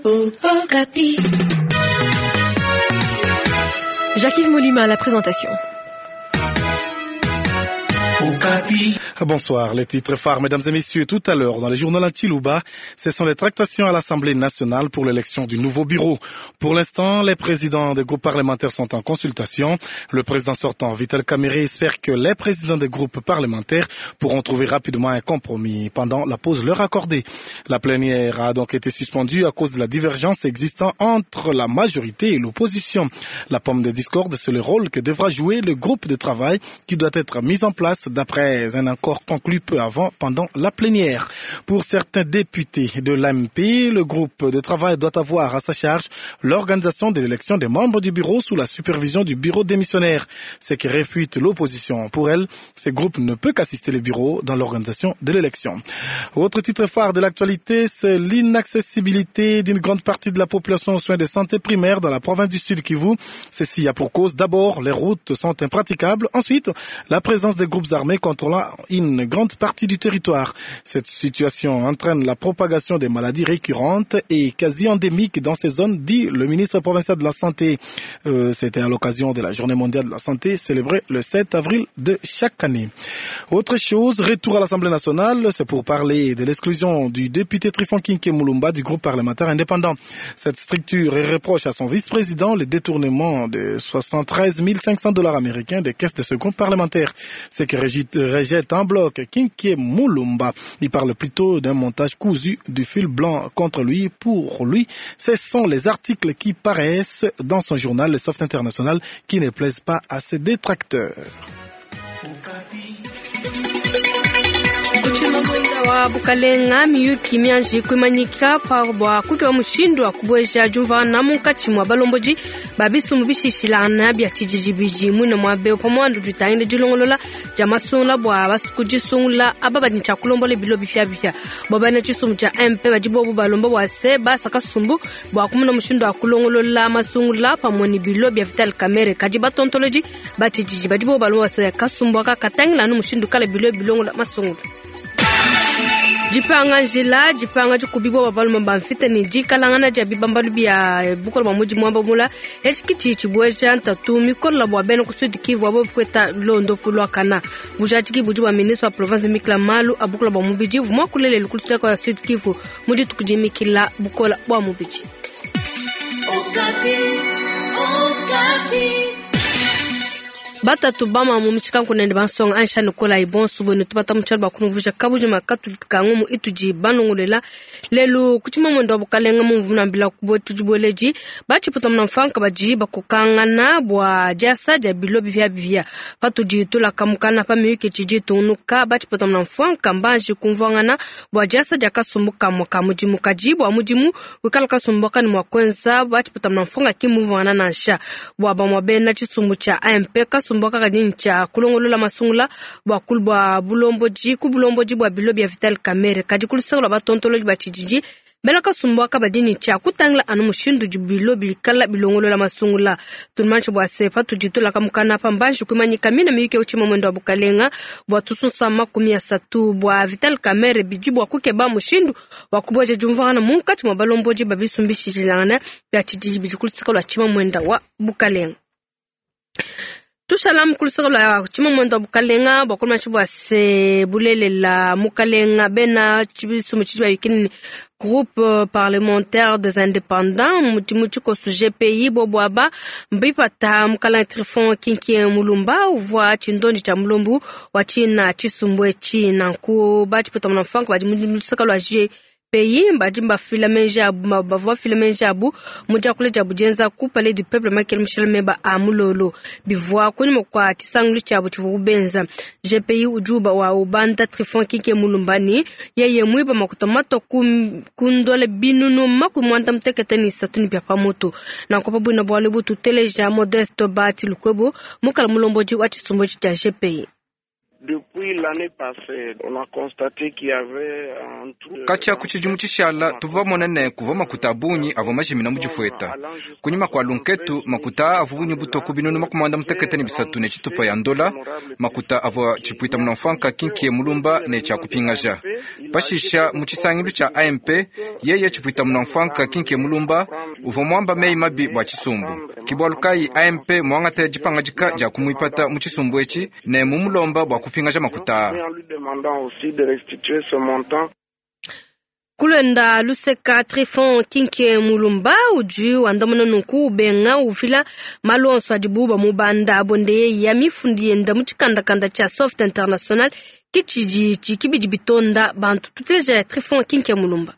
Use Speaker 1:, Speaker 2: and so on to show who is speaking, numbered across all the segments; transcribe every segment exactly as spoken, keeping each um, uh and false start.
Speaker 1: Okapi.
Speaker 2: Jacques-Yves Molima à la présentation.
Speaker 3: Bonsoir, les titres phares, mesdames et messieurs, tout à l'heure, dans le journal Chiluba, ce sont les tractations à l'Assemblée nationale pour l'élection du nouveau bureau. Pour l'instant, les présidents des groupes parlementaires sont en consultation. Le président sortant, Vital Kamerhe, espère que les présidents des groupes parlementaires pourront trouver rapidement un compromis pendant la pause leur accordée. La plénière a donc été suspendue à cause de la divergence existant entre la majorité et l'opposition. La pomme de discorde, c'est le rôle que devra jouer le groupe de travail qui doit être mis en place d'après un accord conclu peu avant pendant la plénière. Pour certains députés de l'A M P, le groupe de travail doit avoir à sa charge l'organisation de l'élection des membres du bureau sous la supervision du bureau démissionnaire, ce qui réfute l'opposition. Pour elle, ce groupe ne peut qu'assister le bureau dans l'organisation de l'élection. Autre titre phare de l'actualité, c'est l'inaccessibilité d'une grande partie de la population aux soins de santé primaire dans la province du Sud Kivu. Ceci a pour cause d'abord, les routes sont impraticables. Ensuite, la présence des groupes armés contrôlant une grande partie du territoire. Cette situation entraîne la propagation des maladies récurrentes et quasi endémiques dans ces zones, dit le ministre provincial de la Santé. Euh, c'était à l'occasion de la Journée mondiale de la santé célébrée le sept avril de chaque année. Autre chose, retour à l'Assemblée nationale, c'est pour parler de l'exclusion du député Tryphon Kin-Kiey Mulumba du groupe parlementaire indépendant. Cette structure reproche à son vice-président le détournement de soixante-treize mille cinq cents dollars américains des caisses de ce groupe parlementaire. Ce qui rejette en bloc Kin-Kiey Mulumba. Il parle plutôt d'un montage cousu du fil blanc contre lui. Pour lui, ce sont les articles qui paraissent dans son journal, le Soft International, qui ne plaisent pas à ses détracteurs.
Speaker 4: Wa bukalenga miyuki mianji kuimanyika pa bwa kukeba mushindu wa kubweja jumva na munkatshi mwa balomboji babisumbu bishishilana bya tshijiji mwine mwa beo pamwandu ditangile dilongolola dia masungula bwa basuku disungula aba badi tshia kulombola bilo bipyabipya bwa bana tshisumbu tshia M P badi bobu balomba bwa se basa kasumbu bwa kumuna mushindu wa kulongolola masungula pamwe ni bilo bya Vital Kamerhe kadi batontoloji ba tshijiji badi bobu balomba bwa se kasumbu aka katangila anu mushindu kala bilo bilongola masungula. Dipanga njila, dipanga dikubibwa babaluma bamfita ni dikalangana dia bibambalu bia bukola bwa mudi mwamba mula etshi tshi tshibweja ntatu mikola bwa bena ku Sud Kivu abo kweta londo pulwa kana bujatiki budi bwa ministre wa province mikla malu abukola bwa mubidi vumwa kulele lukuluseka kwa Sud Kivu mudi tukujimikila bukola bwa mubidi.
Speaker 1: Okapi, Okapi.
Speaker 4: Batatu bama mu mishika nkunende bansonga ansha nikola ibonso bwenu tubata muchalo bakunuvuja kabuji makatu kangumu ituji banongolela lelu kuchima mwendo wa bukalenga mu mvumuna mbila kubo tujiboleji bachiputa muna mfanka baji bakukangana bwa jasa ja bilo bivya bivya patuji tula kamukana pa miyuki chiji tunuka bachiputa muna mfanka mbanji kumvangana bwa jasa ja kasumbuka mwaka mujimu kaji bwa mujimu wikala kasumbuka ni mwakwenza bachiputa muna mfanka kimuvangana nansha bwa bamwa bena chisumbu cha A M P kasumbuka kadini cha kulongolola masungula bwa kulbwa bulomboji ku bulomboji bwa bilo bya Vital Kamerhe kadi kulusakula batontoloji ba tshijiji bela kasumbu aka badini cha kutangila anu mushindu jibilo bikala bilongolola masungula tumanche bwa sefa tujitula kamukana pa mbanji kumanyika mina miyuke uchima mwendo wa bukalenga bwa tusunsa makumi asatu bwa Vital Kamerhe biji bwa kukeba mushindu wa kuboja jumvana munkati mwa balomboji babisumbishilana bya tshijiji bidi kulusakula chima mwenda wa bukalenga. Tushala mkulusaka la chima mwendo wa bukalenga bwa kuluma chibwa se bulelela mukalenga bena chibisumu chibwa yikini groupe parlementaire des indépendants mutimu tshikosu G P I bobwaba mbipata mukala Tryphon Kin-Kiey Mulumba uvwa tshindondi tsha mulombu wa tshina tshisumbu etshi nanku batshipeta muna mfanka badi mulusaka lwa G P I badi mbafila menji abu, bavua bafila menji abu, mudia kule dia budienza ku Palais du Peuple makele Michel Meba a mulolo bivua kunyima kwa tshisangulu tshiabu tshivua kubenza G P I ujuba wa ubanda Tryphon Kin-Kiey Mulumba ni yeye mwiba makuta mato kundole binunu makumi mwanda mutekete ni isatu ni bia pamutu na nkopa bwina bwale bututeleja Modeste Bahati Lukwebo mukala mulomboji wa tshisumbu tshia G P I.
Speaker 5: Katshia ku tshidimu tshishala tuvua bamone ne kuvua makuta a bungi avua majimina mu difueta. Kunyima kua lunketu makuta avua bungi butoku ku binunu makumi muanda mutekete ne bisatu ne tshitupa ya ndola, makuta avua tshipuita munamfwanka kinkie mulumba ne tshia kupingaja. Pashisha mu tshisangilu tshia A M P yeye tshipuita munamfwanka kinkie mulumba uvua muamba meyi mabi bua tshisumbu. Kibwalu kayi A M P muangate dipangadika dia kumuipata mu tshisumbu etshi ne mumulomba bua kupingaja makuta.
Speaker 4: Kulwenda luseka Trifon Kinke Mulumba udi wandamuna nunku ubenga uvila malu onso adibu bamubanda bonde ya mifundi yenda mu tshikandakanda tshia Soft International kitshidi tshikibidi bitonda bantu tuteleja Trifon Kinke Mulumba.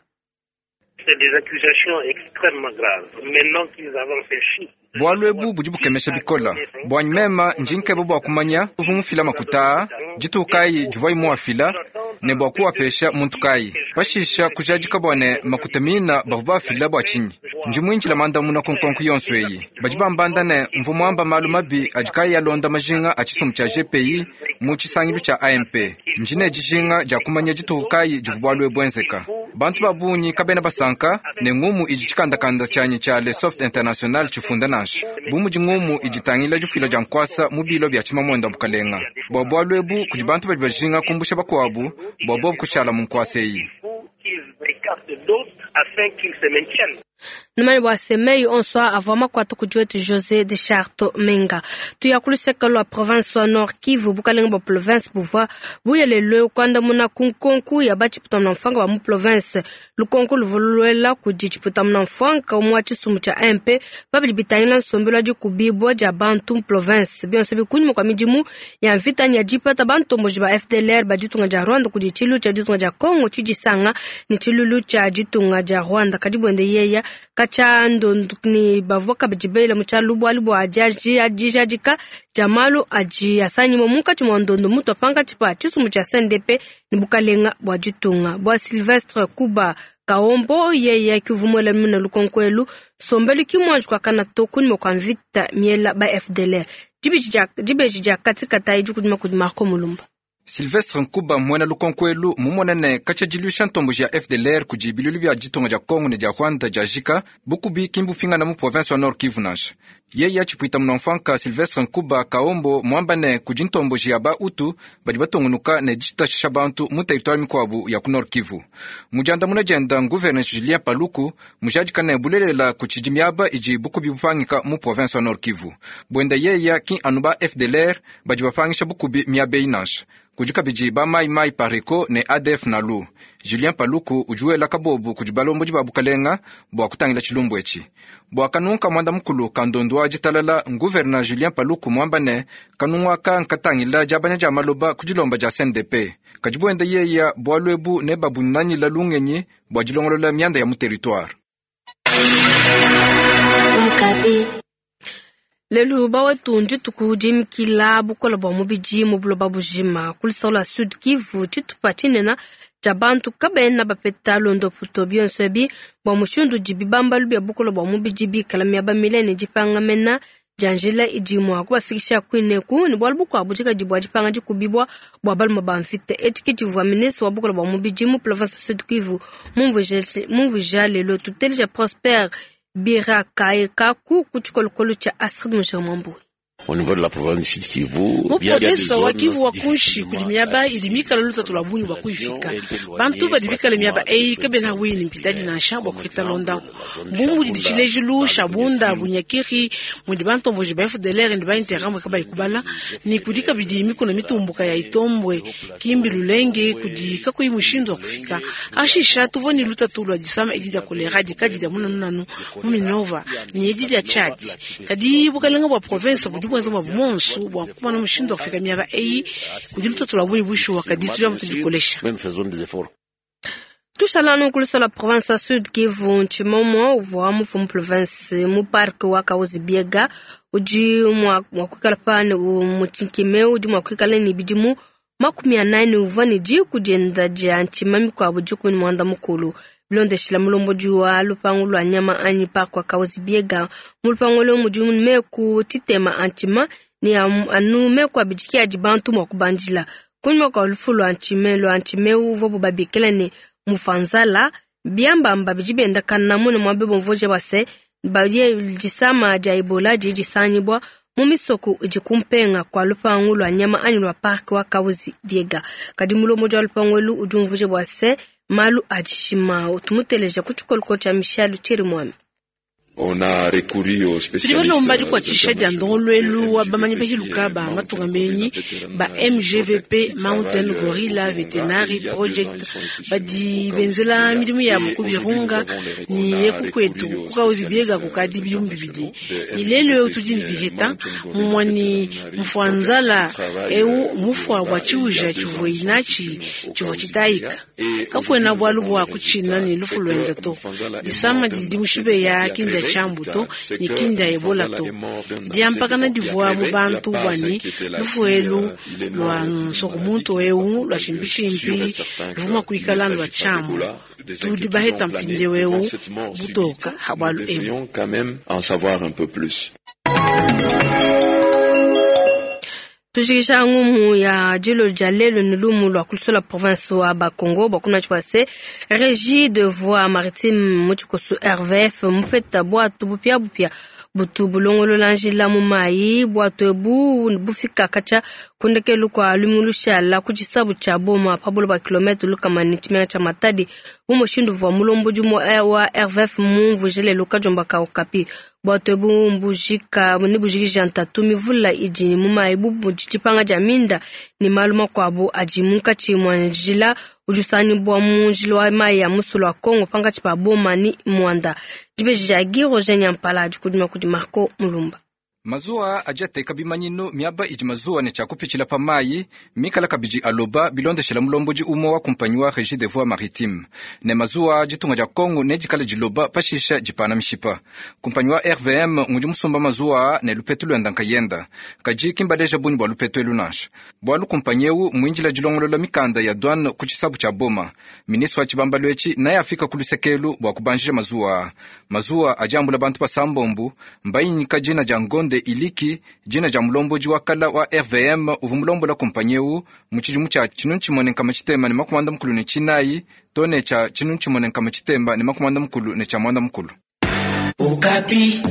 Speaker 6: C'est des accusations extrêmement graves. Maintenant qu'ils avancent ces chiffres.
Speaker 5: Bwalu ebu budi bukemesha bikola. Bwanyi mema njinkebe bwa kumanya uvu mufila makuta ditukayi divua muafila ne bwa kuwapesha muntu kayi. Pashisha kujadika bwa ne makuta mina bavua bafila bwa tshinyi. Ndi muinjila mandamuna ku nkonko yonso eyi. Badi bambanda ne mvu muamba malu mabi adi kayi alonda majinga a tshisumbu tshia G P I mu tshisangilu tshia A M P. Ndi ne dijinga dia kumanya dituku kayi divua bualu ebu enzeka. Bantu ba bungi kabena basanka ne ngumu idi tshikandakanda tshianyi tshia Le Soft International tshifunda nansha. Bu mudi ngumu idi tangila difila dia nkwasa mu bilo bia tshimamwenda bukalenga. Bua bualu ebu kudi bantu badi bajinga kumbusha bakuabu bua bobu kushala mu nkwasa eyi.
Speaker 4: Numani bua semei onso avua makuata kudi wetu José de Charto Menga. Tuya ku luseke lua province wa Nord Kivu bukalenga bua province buvua buyelelwe kuandamuna ku nkonku ya batshiputa mfanga ba mu province. Lukonko luvua luela kudi tshiputa mfanga umue wa tshisumbu tshia A M P babidi bitangila nsombelu adi kubibwa dia bantu mu province. Bionso bikunyima kwa midimu ya mvita ya dipata bantomboji ba F D L R ba ditunga dia Rwanda kudi tshilu tshia ditunga dia Congo tshidisanga ni tshilulu tshia ditunga dia Rwanda kadi bwende yeya kacha ndondu ni bavua kabidi bela mu tshialu bualu bua dijadika dia malu adi asanyima munkatshi mua ndondo mutu apankatshi pa tshisumbu tshia C N D P ne bukalenga bua ditunga bua Sylvestre Kuba Kaombo yeye kivumuela muna lukonkwelu sombelu kimwanji kwa kana to kunyima kwa mvita miela ba F D L R dibeji dia katikata idi kudima kudi Marco Mulumba.
Speaker 5: Sylvestre Nkuba mwena lukonkwelu mumonene kacha dilusha ntomboji ya F D L R kudi bilulu bia ditunga dia Congo ne dia Rwanda dia jika bukubi kimbupingana mu province wa Nord Kivu nansha. Yeye atshipuita munamfanka Sylvestre Nkuba Kaombo mwambane kudi ntomboji ya ba utu badi batungunuka ne ditashisha bantu mu territoire mikuabu ya ku Nord Kivu. Mujanda muna dienda gouverneur Julien Paluku mujadika ne bulelela kutshidi miaba idi bukubi bupangika mu province wa Nord Kivu. Bwenda yeya ki anu ba F D L R badi bapangisha bukubi miaba eyi nansha. Kudi kabidi ba mai mai pareko ne A D F nalu. Julien Paluku ujuela kabobu kudi balombodi ba bukalenga bua kutangila tshilumbu etshi. Bua kanunka mwanda mukulu kandondu wa ditalala gouverneur Julien Paluku mwamba ne kanungwaka nkatangila diabanya dia maloba ku dilomba dia C N D P. Kadi buenda yeya bualu ebu ne babunanila lungenyi bua dilongolola mianda ya mu territoire.
Speaker 4: Lelu bawetu ndituku dimikila bukola bua mubidi mu buloba bujima ku luseke lua Sud Kivu tshitupa tshinene tshia bantu kabena bapeta londoputo bionso ebi bua mushindu udi bibambalu bia bukola bua mubidi bikala miaba mile ne dipangamena dia njila idi mua kubafikisha kuineku ne bualu bukuabu dikadi bua dipanga dikubibwa bua balume ba mvita. Etshi ke tshivua ministre wa bukola bua mubidi mu province Sud Kivu mumvuija lelo tuteleja Prosper Birakaekaku ku tshikolokolo tshia Astrid Mujamambu.
Speaker 7: Au niveau de la province du Sud Kivu,
Speaker 8: mu province wa Kivu wa kunshi kuli miaba idi mikala lutatu lwa bungi bwa kuifika. Bantu badi bikala miaba eyi kabena wini mpitadi nansha bwa kuhita londaku. Mbumbu didi tshilejilu Shabunda Bunyakiri mudi bantomboji ba F D L R ndi ba Interahamwe kabayi kubala ni kudi kabidi mikuna mitumbuka ya Itombwe Kimbi Lulenge kudi kakuyi mushindu wa kufika. Ashisha tuvua ni lutatu lwa disama edi dia kolera dikadi dia munanunanu mu Minova ni edi dia Tchad. Kadi bukalenga bwa province budi bwenza bwa monsu bwa kumana mushindu wa kufika miaba eyi kudi lutatu lwa bungi bushuwa kadi tuya mutudikolesha.
Speaker 4: Tushalano ku luseke lua province ya Sud Kivu ntshimomo uvua mufu province mu parc wa Kahuzi Biega udi mua kuikala pane mutshikime udi mua kuikala ne bidimu makumi anayi uvua ne diku dienda dia ntshima mikuabu dikumi ne muanda mukulu. Bilondeshila mulombodi wa lupangu lua nyama anyi parc wa Kahuzi Biega mu lupangu lua mudi meku tshitema antshima ne anu meku abidi ke adi bantu mua kubandila. Kunyima kua lufu lua ntshime lua ntshimeu uvuabu babikila ne Mufanzala, biambamba bidi biendakana mune muabe bumvuija bua se badi disama dia Ebola didi disangibua mu misoko idi kumpenga kua lupangu lua nyama anyi lua parc wa Kahuzi Biega. Kadi mulombodi wa lupangu elu udi umvuija bua se malu a dishima. Tumuteleja ku tshikoloko tshia Michel Chirimwami.
Speaker 9: On a recouru aux
Speaker 8: Tudi balomba dikuatshisha dia ndongoluelu wa bamanyi bahiluka ba matunga menyi ba M G V P Mountain Gorilla Veterinary Project badi benzela midimu yabo ku Virunga ni yeku kwetu ku Kahuzi Biega kukadi bidimu bibidi. Ni lelu eu tudi ne biheta mumua ni mfuanzala eu mufua bua tshiuja tshivua inatshi tshivua tshitayika. Kakuena bualu bua kutshina ne lufu luenda to. Disama didi mushibeya kindia tshiambuto ne kindia Ebola to. Diampakana divua mu bantu bwani lufu elu lua nsokomuntu eu lua tshimpitshimpi luvuma kuikala lua tshiambu. Tudi baheta mpindieu eu butoka ha bualu ebu.
Speaker 9: Quand même en savoir un peu plus.
Speaker 4: Tujikisha ngumu ya dilo dia lelo ni lumu lua kulusola province wa Bakongo bakuna tshipase régie de voie maritime mutshikosu R V F mupeta bwatu bupia bupia butu bulongolola njila mu mayi bwatu ebu bufika kacha kundekelu kwa lumulushala ku tshisabu tshia boma pa buloba kilometre lukama ne tshimenga tshia Matadi bu mushindu vua mulombodi wa R V F mumvuje lelo kajomba ka Okapi. Bwatu ebu mbujika ne bujikija ntatu mivula idi mu mayi bu tshipanga dia minda ne malu makuabu adi munkatshi mua njila udi usangibua mu njila wa mayi ya musulu wa Kongo pankatshi pa Boma ni Mwanda. Dibeji dia Guy Roger Nyampala dikudima kudi Marco Mulumba.
Speaker 5: Mazuwa adi ateka bimanyinu miaba idi mazuwa ne tshia pa mayi mikala kabidi aloba bilondeshela mulombodi umwe wa kumpanyi wa Régie des voies maritimes ne mazuwa ditunga dia Kongo ne dikala diloba pashisha dipana mishipa. Kumpanyi wa R V M ngudi musumba mazuwa ne lupetu luenda nkayenda kadi kimbaleja bunyi bua lupetu elu nansha bualu kumpanyi eu muinjila dilongolola mikanda ya douane ku tshisabu tshia Boma. Ministre wa tshibambalu etshi naye afika ku lusekelu bua kubanjija mazuwa. Mazuwa adi ambula bantu basambombu mbayinyika dina dia ngonde iliki dina dia mulombodi wa kala wa R V M uvu mulombola kumpanyi eu mu tshidimu tshia tshinunu tshimue ne nkama tshitemba ne makumi muanda mukulu ne tshinayi to ne tshia tshinunu tshimue ne nkama tshitemba ne makumi muanda mukulu ne tshia muanda mukulu.
Speaker 1: Okapi.